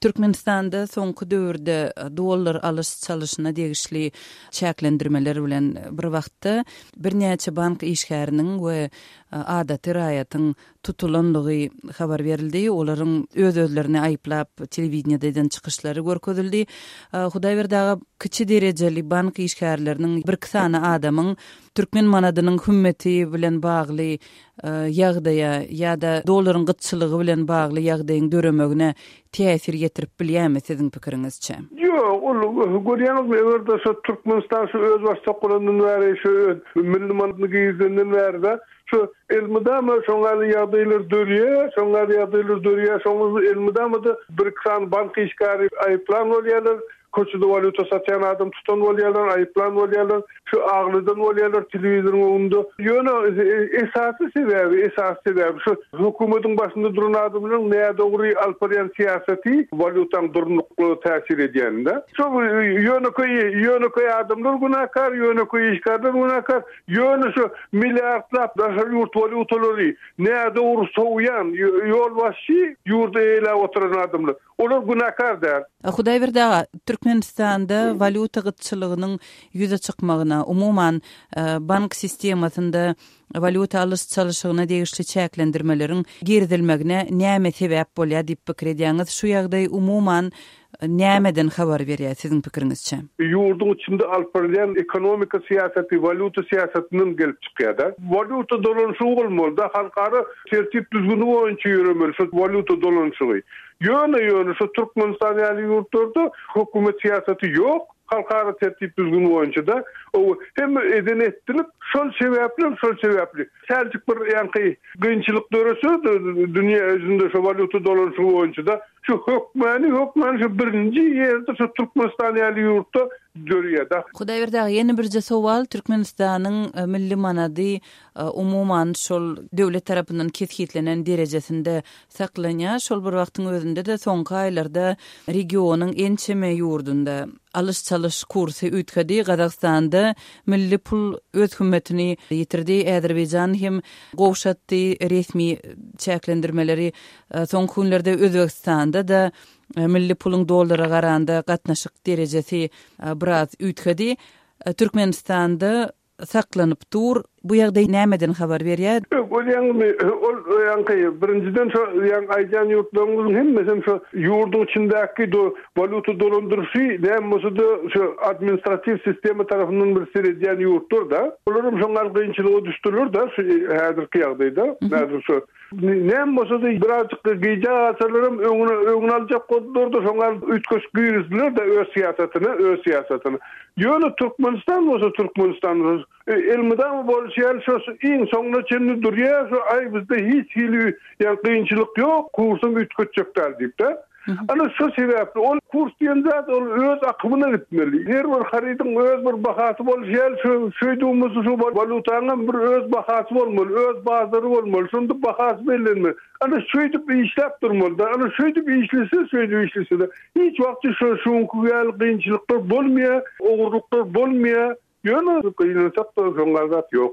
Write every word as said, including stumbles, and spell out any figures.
Türkmenistanda soňky döwürde dollar alyş-çalyşyna degişli çäklendirmeler bilen bir wagtda birnäçe bank işgäriniň we adaty raýatyň tutulanlygy habar berildi. Olaryň öz-özlerini aýyplap telewideniýede eden çykyşlary görkezildi. Hudaýberdi aga, kiçi derejeli bank işgärleriniň bir iki sany adamyň türkmen manadynyň hümmeti bilen bagly ýagdaýa ýa-da dollaryň gytçylygy bilen bagly ýagdaýyň döremegine täsir ýetirip bilýärmi siziň pikiriňizçe? Ýok, ol görýäňizmi, eger-de şu Türkmenistan şu öz başdak bolandan bäri şu milli manadyny girizenden bäri şu elmydama şoňa ýagdaýlar dörýär, şoňa ýagdaýlar dörýär, şoňa elmydama da bir iki sany bank işgäri aýyplan bolýarlar, köçede walýuta satýan adam tutan bolýarlar, aýyplan bolýarlar, şu aglydan bolýarlar telewizoryň öňünde. Ýöne esasy sebäbi, esasy sebäbi şu hökümetiň başynda duran adamlaryň nädogry alyp barýan syýasaty walýutaň durnuklygyna täsir edýände. Şu ýönekeý ýönekeý adamlar günäkär, ýönekeý işgärler günäkär, ýöne şu milliardlap daşary ýurt walýutalary nädogry sowýan ýolbaşçy ýurda eýläp oturan adamlar. Olar günäkär däl. Hudaýberdi aga, Türkmenistanda walýuta gytçylygynyň ýüze çykmagyna, umuman bank sistemasynda walýuta alyş-çalyşygyna degişli çäklendirmeleriň girizilmegine näme sebäp bolýar diýip pikir edýäňiz? Şu ýagdaý umuman nämeden habar berýär siziň pikiriňizçe? Ýurduň içinde alyp barylýan ekonomika syýasaty, walýuta syýasatyndan gelip çykýar-da. Walýuta dolanyşygy bolmaly-da, halkara tertip düzgüni boýunça ýöremeli şu walýuta dolanyşygy. Ýöne ýöne şu Türkmenistan ýaly ýurtlarda hökümet syýasaty ýok, halkara tertip düzgüni boýunça da o hem eden etdilip, şol sebäpli, şol sebäpli Selçuk bir ýaňky kynçylyk dörese dünýä özünde şu walýuta dolanyşygy boýunça da şu hökmäni hökmäni şu birinji ýerde şu Türkmenistan ýaly ýurtda dörýär da. Hudaýberdi aga, ýene birje sowal, Türkmenistanyň milli manady umuman şol döwlet tarapyndan kesgitlenen derejesinde saklanýar. Şol bir wagtyň özünde de soňky aýlarda regionyň ençeme ýurdunda alyş-çalyş kursy üýtgedi. Gazagystanda milli pul öz hümmetini ýitirdi. Azerbaýjan hem gowşatdy resmi çäklendirmeleri. Soňky günlerde Özbegistanda da milli puluň dollara garanda gatnaşyk derejesi biraz üýtgedi. Türkmenistanda saklanyp dur. Bu ýagdaý nämeden habar berýär? Ol ýaňmy, ol ýaňky birinjiden şo ýaň aýdan ýurtlaryň hemmesi şo ýurduň içindäki do walýuta dolandyryşy näme bolsa-da şo administratiw sistema tarapyndan bir seredýän ýurtlar da. Olaryň şoňa kynçylyga düşdüler da şu häzirki ýagdaýda. Häzir şo näme bolsa-da birazjyk gije galsalarym öňüne öňüne aljak boldular da şoňa üýtgeş girizdiler de öz syýasatyny, öz syýasatyny. Ýöne Türkmenistan bolsa Türkmenistan bolsa elmydama bolşy ýaly şo iň soňuna çenli durýar, şo aý bizde hiç hili ýa kynçylyk ýok, kursum üýtgetjek däl diýip de. Ana şu sebäpli ol kurs diýen zat ol öz akymyna gitmeli. Her bir harydyň öz bir bahasy bolşy ýaly şu şeýdüwimiz şu walýutanyň bir öz bahasy bolmaly, öz bazary bolmaly, şunda bahasy bellenmeli. Ana şeýdip işläp durmaly da, ana şeýdip işlese, şeýdip işlese de hiç wagt şu şuňky ýaly kynçylyklar bolmaýar, ogurluklar bolmaýar. Ýöne kynçylyklar şoňa zat ýok.